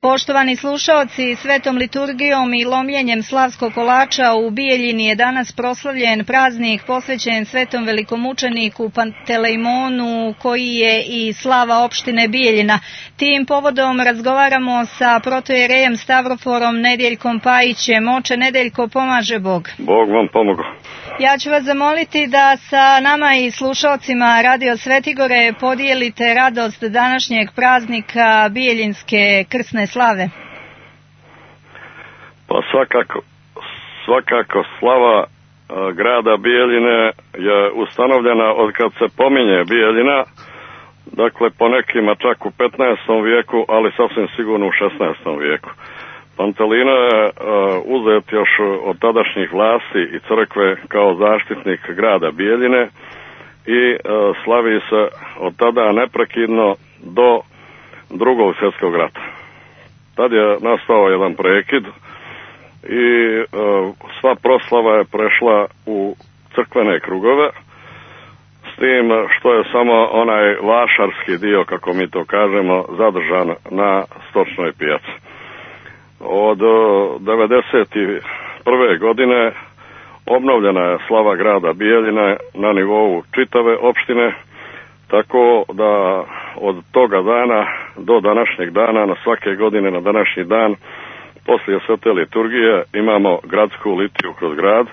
Poštovani slušaoci, svetom liturgijom i lomljenjem slavskog kolača u Bijeljini je danas proslavljen praznik posvećen svetom velikomučeniku Pantelejmonu, koji je i slava opštine Bijeljina. Tim povodom razgovaramo sa protojerejem Stavroforom Nedeljkom Pajićem. Oče Nedeljko, pomaže Bog. Bog vam pomogao. Ja ću vas zamoliti da sa nama i slušalcima Radio Svetigore podijelite radost današnjeg praznika Bijeljinske krsne slave. Pa svakako slava grada Bijeljine je ustanovljena od kad se pominje Bijeljina, dakle po nekima čak u 15. vijeku, ali sasvim sigurno u 16. vijeku. Pantelino je uzet još od tadašnjih vlasti i crkve kao zaštitnik grada Bijeljine i slavi se od tada neprekidno do Drugog svjetskog rata. Tad je nastao jedan prekid i sva proslava je prešla u crkvene krugove, s tim što je samo onaj vašarski dio, kako mi to kažemo, zadržan na stočnoj pijaci. Od 1991. godine obnovljena je slava grada Bijeljine na nivou čitave opštine, tako da od toga dana do današnjeg dana, na svake godine na današnji dan, poslije svete liturgije imamo gradsku litiju kroz grad,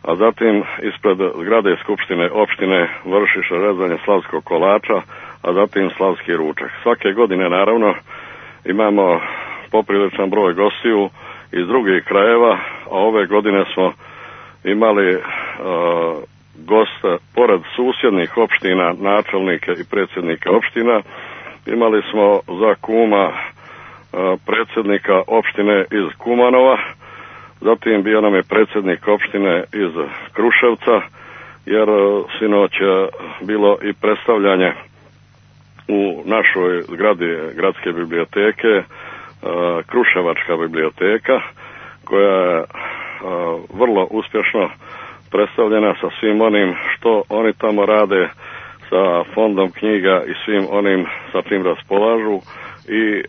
a zatim ispred zgrade skupštine opštine vrši se rezanje slavskog kolača, a zatim slavski ručak. Svake godine naravno imamo popriličan broj gostiju iz drugih krajeva, a ove godine smo imali gosta pored susjednih opština, načelnike i predsjednika opština. Imali smo za kuma predsjednika opštine iz Kumanova, zatim bio nam je predsjednik opštine iz Kruševca, jer sinoć je bilo i predstavljanje u našoj zgradi gradske biblioteke, Kruševačka biblioteka, koja je vrlo uspješno predstavljena sa svim onim što oni tamo rade, sa fondom knjiga i svim onim sa čim raspolažu i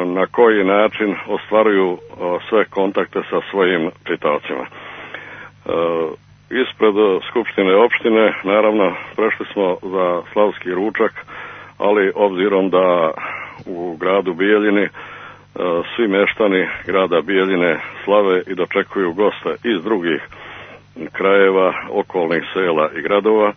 na koji način ostvaruju sve kontakte sa svojim čitaocima. Ispred skupštine opštine naravno prešli smo za slavski ručak, ali obzirom da u gradu Bijeljini svi meštani grada Bijeljine slave i dočekuju goste iz drugih krajeva, okolnih sela i gradova,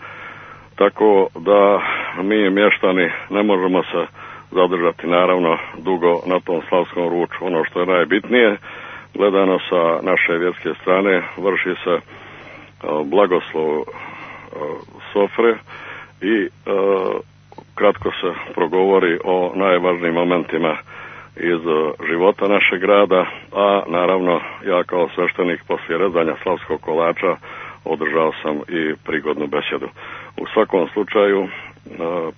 tako da mi mještani ne možemo se zadržati naravno dugo na tom slavskom ručku. Ono što je najbitnije, gledano sa naše vjerske strane, vrši se blagoslov sofre i kratko se progovori o najvažnijim momentima iz života našeg grada, a naravno ja kao sveštenik poslije rezanja slavskog kolača održao sam i prigodnu besedu. U svakom slučaju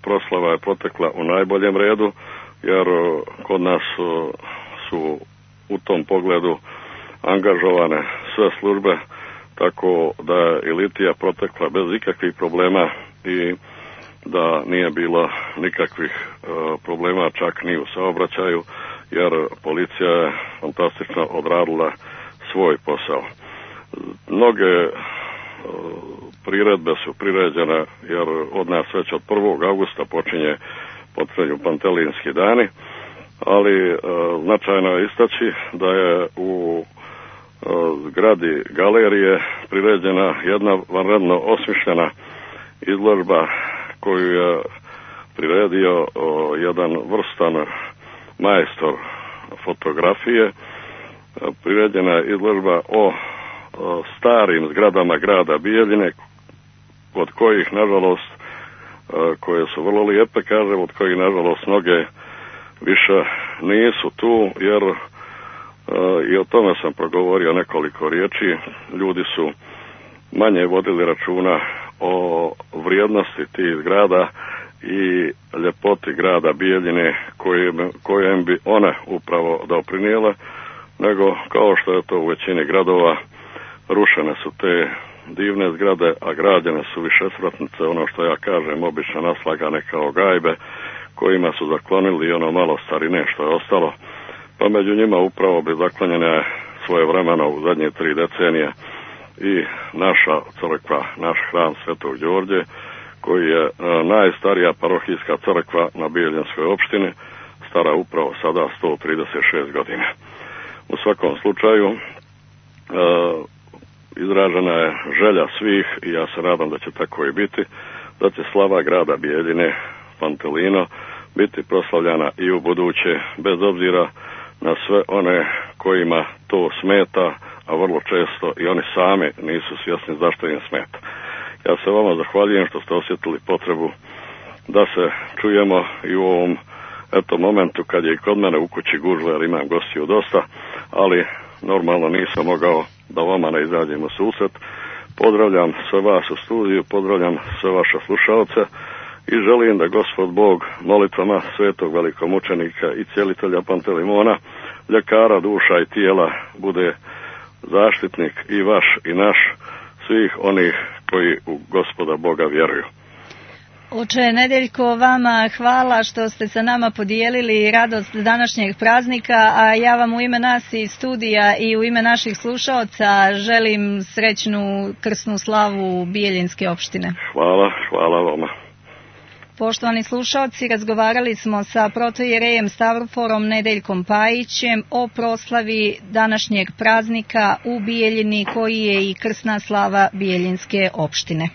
proslava je protekla u najboljem redu, jer kod nas su u tom pogledu angažovane sve službe, tako da je i litija protekla bez ikakvih problema i da nije bilo nikakvih problema čak ni u saobraćaju, jer policija je fantastično odradila svoj posao. Mnoge priredbe su priređene, jer od nas već od 1. augusta počinju Pantelinski dani, ali značajno je istaći da je u zgradi galerije priređena jedna vanredno osmišljena izložba koju je priredio jedan vrstan majstor fotografije. Priređena je izložba o starim zgradama grada Bijeljine, od kojih nažalost, koje su vrlo lijepe, kažem, od kojih nažalost mnoge više nisu tu, jer i o tome sam progovorio nekoliko riječi. Ljudi su manje vodili računa o vrijednosti tih zgrada i ljepoti grada Bijeljine kojem bi one upravo doprinijele, nego kao što je to u većini gradova, rušene su te divne zgrade, a građene su višesvratnice, ono što ja kažem, obično naslagane kao gajbe, kojima su zaklonili ono malo starine što je ostalo. Pa među njima upravo bi zaklanjene svoje vremena u zadnje 3 decenije i naša crkva, naš hram Svetog Đorđe, koji je najstarija parohijska crkva na Bijeljinskoj opštini, stara upravo sada 136 godina. U svakom slučaju izražena je želja svih i ja se nadam da će tako i biti, da će slava grada Bijeljine, Pantelino, biti proslavljana i u buduće, bez obzira na sve one kojima to smeta, a vrlo često i oni sami nisu svjesni zašto im smeta. Ja se vama zahvaljujem što ste osjetili potrebu da se čujemo i u ovom momentu kad je i kod mene u kući gužva jer imam gostiju dosta, ali normalno nisam mogao da vama ne izađem u susret. Pozdravljam sve vas u studiju, pozdravljam sve vaše slušalce i želim da Gospod Bog molitvama svetog velikomučenika i cijelitelja Pantelimona, ljekara duša i tijela, bude zaštitnik i vaš i naš, svih onih koji u Gospoda Boga vjeruju. Oče Nedeljko, vama hvala što ste sa nama podijelili radost današnjeg praznika, a ja vam u ime nas iz studija i u ime naših slušaoca želim srećnu krsnu slavu Bijeljinske opštine. Hvala vama. Poštovani slušaoci, razgovarali smo sa protojerejem Stavroforom Nedeljkom Pajićem o proslavi današnjeg praznika u Bijeljini koji je i krsna slava Bijeljinske opštine.